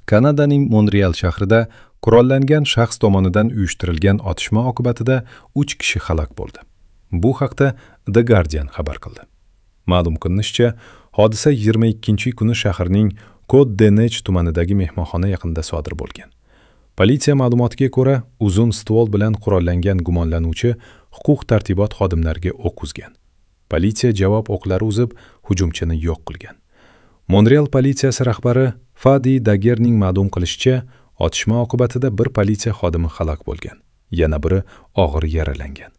Kanadaning Monreal shahrida qurollangan shaxs tomonidan uyushtirilgan otishma oqibatida 3 kishi halok bo'ldi. Bu haqda The Guardian xabar qildi. Ma'lum qilinishicha, hodisa 22-kuni shaharning Côte-des-Neiges tumanidagi mehmonxona yaqinida sodir bo'lgan. Politsiya ma'lumotiga ko'ra, uzun stvol bilan qurollangan gumonlanuvchi huquq-tartibot xodimlariga o'q uzgan. Politsiya javob o'qlari uzib, hujumchini yo'q qilgan. Monreal politsiyasi rahbari Fadi Dagerning ma'lum qilishicha, otishma oqibatida bir politsiya xodimi halok bo'lgan, yana biri og'ir yaralangan.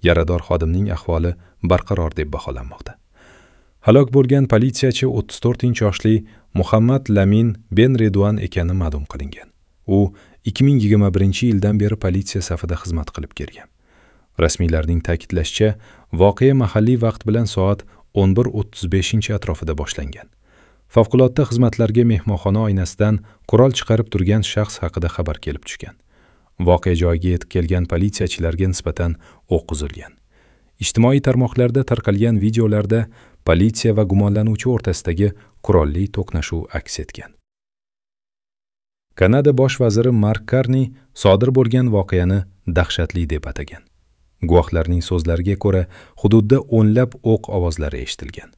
Yarador xodimning ahvoli barqaror deb baholanmoqda. Halok bo'lgan politsiyachi 34-yoshli Muhammad Lamin Ben Reduan ekani ma'lum qilingan. U 2021-yildan beri politsiya safida xizmat qilib kelgan. Rasmiylarning ta'kidlashicha, voqea mahalliy vaqt bilan soat 11:35 atrofida boshlangan. Favqulodda xizmatlarga mehmonxona oynasidan qurol chiqarib turgan shaxs haqida xabar kelib tushgan. Voqea joyiga yetib kelgan politsiyachilarga nisbatan o'q uzilgan. Ijtimoiy tarmoqlarda tarqalgan videolarda politsiya va gumonlanuvchi o'rtasidagi qurolli to'qnashuv aks etgan. Kanada bosh vaziri Mark Karni sodir bo'lgan voqeani dahshatli deb atagan. Guvohlarning so'zlariga ko'ra, hududda o'nlab o'q ovozlari eshitilgan.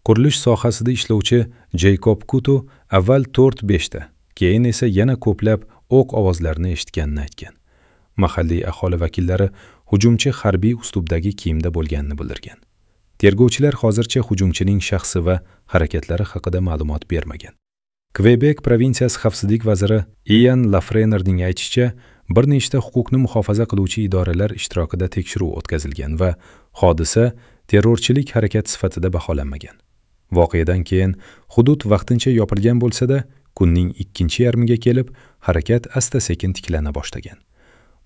Qurilish sohasida ishlovchi Jeykob Kutu avval 4-5 ta, keyin esa yana ko'plab o'q ovozlarini eshitganini aytgan. Mahalliy aholi vakillari hujumchi harbiy uslubdagi kiyimda bo'lganini bildirgan. Tergovchilar hozircha hujumchining shaxsi va harakatlari haqida ma'lumot bermagan. Kvebek provinsiyasi xavfsizlik vaziri Ian Lafrenerning aytishicha, bir nechta huquqni muhofaza qiluvchi idoralar ishtirokida tekshiruv o'tkazilgan va hodisa terrorchilik harakati sifatida baholanmagan. Voqeadan keyin hudud vaqtincha yopilgan bo'lsa-da, kunning ikkinchi yarmiga kelib harakat asta-sekin tiklana boshlagan.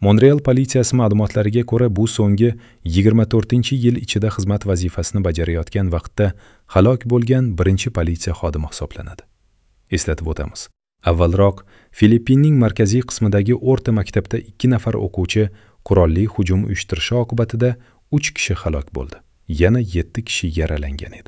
Monreal politsiyasi ma'lumotlariga ko'ra, bu so'nggi 24-yil ichida xizmat vazifasini bajarayotgan vaqtda halok bo'lgan birinchi politsiya xodimi hisoblanadi. Eslatib o'tamiz. Avvalroq Filippinning markaziy qismidagi o'rta maktabda 2 nafar o'quvchi qurolli hujum uyushtirishi oqibatida 3 kishi halok bo'ldi. Yana 7 kishi yaralangan edi.